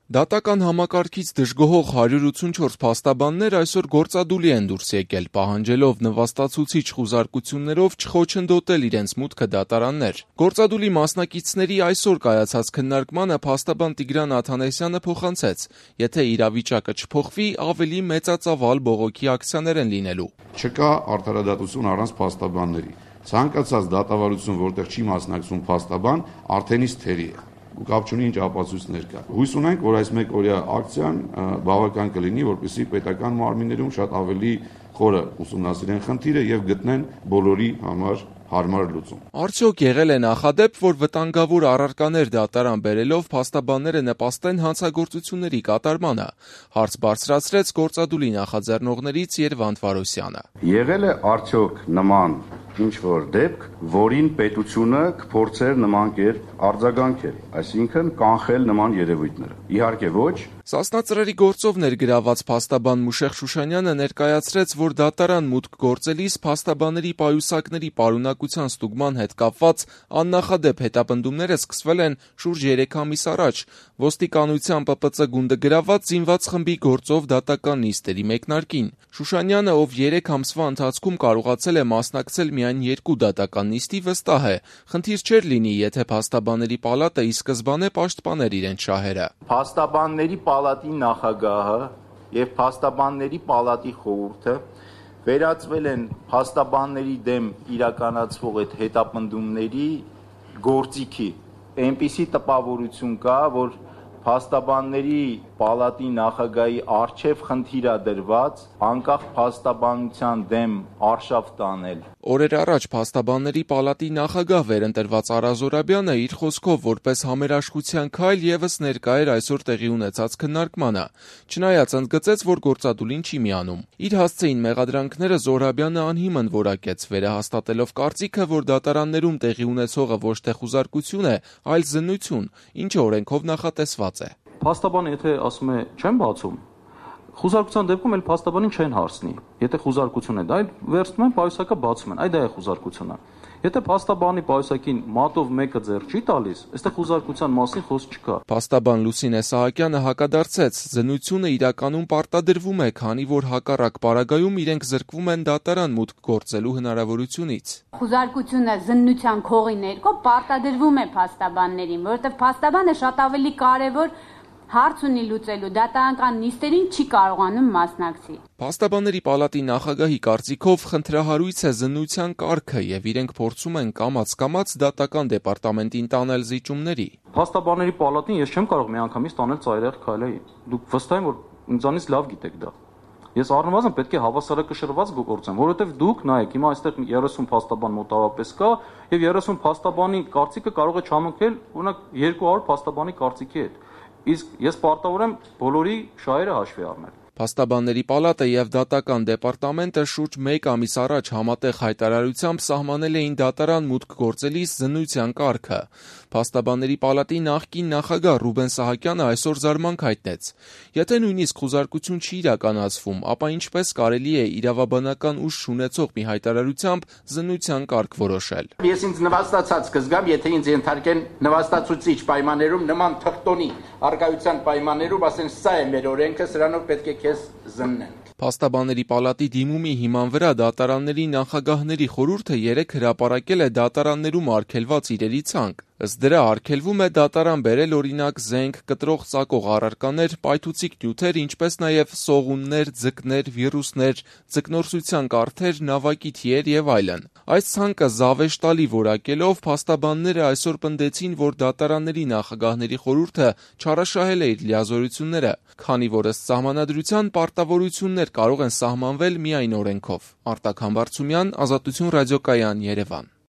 Դատական համակարգից դժգոհող 184 փաստաբաններ այսօր գործադուլի են դուրս եկել, պահանջելով նվաստացուցիչ խուզարկություններով չխոչընդոտել իրենց մուտքը դատարաններ։ Գործադուլի մասնակիցների այսօր կայացած քննարկմանը փաստաբան Տիգրան Աթանեսյանը փոխանցեց, եթե իրավիճակը չփոխվի, ավելի մեծածավալ բողոքի ակցիաներ են լինելու։ Չկա արդարադատություն առանց փաստաբանների։ Ցանկացած դատավարություն, որտեղ չի մասնակցում փաստաբան, արդենից թերի է։ Կապ չունի ինչ ապացույցներ կա։ Հույս ունենք, որ այս մեկ օրյա ակցիան բավական կլինի, որպեսզի պետական մարմիններում շատ ավելի խորը ուսումնասիրեն խնդիրը եւ գտնեն բոլորի համար հարմար լուծում։ Արդյոք եղել է նախադեպ, որ վտանգավոր առարկաներ դատարան բերելով փաստաբանները նպաստեն հանցագործությունների կատարմանը, հարց բարձրացրեց գործադուլի նախաձեռնողներից Երվանդ Վարոսյանը։ Եղել է արդյոք նման ինչ-որ դեպք, որին պետությունը կփորձեր նման կերպ արձագանքել, այսինքն կանխել նման երևույթները։ Իհարկե ոչ։ Սասնա ծրերի գործով ներգրաված փաստաբան Մուշեղ Շուշանյանը ներկայացրեց, որ դատարան մուտք գործելիս փաստաբանների պայուսակների պարունակության ստուգման հետ կապված աննախադեպ հետապնդումները սկսվել են շուրջ 3 ամիս առաջ, ոստիկանության ՊՊՑ գունդը գրաված զինված խմբի գործով դատական նիստերի մեկնարկին։ Շուշանյանը, ով 3 ամսվա ընթացքում կարողացել է մասնակցել միայն 2 դատական նիստի, վստահ է, խնդիր չէր լինի, եթե փաստաբանների պալատը ի սկզբանե պաշտպաներ իրենց շահերը։ Փաստաբանների պալատի նախագահը եւ փաստաբանների պալատի խորհուրդը վերածվել են փաստաբանների դեմ իրականացվող այդ հետապնդումների գործիքի։ Այնպիսի տպավորություն կա, որ փաստաբանների պալատի նախագահի արչև խնդիր է դրված անկախ փաստաբանության դեմ արշավ տանել։ Օրեր առաջ փաստաբանների պալատի նախագահ վերընտրված Արա Զորաբյանը իր խոսքով որպես համերաշխության քայլ եւս ներկա էր այսօր տեղի ունեցած քննարկմանը, չնայած ընդգծեց, որ գործադուլին չի միանում։ Իր հասցեին մեղադրանքները Զորաբյանը անհիմն որակեց, վերահաստատելով կարծիքը, որ դատարաններում տեղի ունեցողը ոչ թե խուզարկություն է, այլ զննություն, ինչը օրենքով նախատեսված է։ Փաստաբանը եթե ասում է չեմ բացում, խուզարկության դեպքում էլ փաստաբանին չեն հարցնի։ Եթե խուզարկություն է, դա էլ վերցնում են պայուսակը բացում են, այ դա է խուզարկությունը։ Եթե փաստաբանի պայուսակին մատով մեկը ձեռ չի տալիս, այստեղ խուզարկության մասին խոսք չկա։ Փաստաբան Լուսինե Սահակյանը հակադարձեց, զննությունը իրականում պարտադրվում է, քանի որ հակառակ պարագայում իրենք զրկվում են դատարան մուտք գործելու հնարավորությունից։ Խուզարկությունը զննության քողի ներքո պարտադրվում է փաստաբաններին, որովհետև փաստաբանը շատ ավելի կարևոր հարց ունի լուծելու, դատարանական նիստերին չի կարողանում մասնակցի։ Փաստաբանների պալատի նախագահի կարծիքով խնդրահարույց է զննության կարգը եւ իրենք փորձում են կամաց-կամաց դատական դեպարտամենտին տանել զիջումների։ Փաստաբանների պալատին ես չեմ կարող միանգամից տանել ծայրահեղ քայլի։ Դուք վստահ եմ, որ ինձանից լավ գիտեք դա։ Ես առնվազն պետք է հավասարակշռված գործեմ, որովհետև դուք նայեք, հիմա այստեղ 30 փաստաբան մոտավորապես կա եւ 30 փաստաբանի կարծիքը կարող է չհամընկնել օրինակ 200 փաստաբանի կարծիքի հետ։ Իսկ ես պարտավոր եմ բոլորի շահերը հաշվի առնել։ Փաստաբանների պալատը եւ դատական դեպարտամենտը շուրջ 1 ամիս առաջ համատեղ հայտարարությամբ սահմանել էին դատարան մուտք գործելիս զննության կարգը։ Փաստաբանների պալատի նախկին նախագահ Ռուբեն Սահակյանը այսօր զարմանք հայտնեց. եթե նույնիսկ խուզարկություն չի իրականացվում, ապա ինչպես կարելի է իրավաբանական ուժ չունեցող մի հայտարարությամբ զննության կարգ որոշել։ Ես ինձ նվաստացած կզգամ, եթե ինձ ենթարկեն նվաստացուցիչ պայմաններում նման թղթոնի արկայության պայմաններում, ասեն սա է մեր օրենքը, սրանով պետք է զննենք։ Փաստաբանների պալատի դիմումի հիման վրա դատարանների նախագահների խորհուրդը 3 հրապարակել է դատարաններում արգելված իրերի ցանկ։ Ըստ դրա արգելվում է դատարան բերել օրինակ զենք, կտրող ծակող առարկաներ, պայթուցիկ նյութեր, ինչպես նաև սողուններ, ձկներ, վիրուսներ, ձկնորսության կարթեր, նավակի թիեր եւ այլն։ Այս ցանկը զավեշտալի որակելով փաստաբանները այսօր պնդեցին, որ դատարանների նախագահների խորհուրդը չարաշահել է իր լիազորությունները, քանի որ ըստ սահմանադրության պարտավորություններ կարող են սահմանվել միայն օրենքով։ Արտակ Համբարձումյան, Ազատություն ռադիոկայան, Երևան։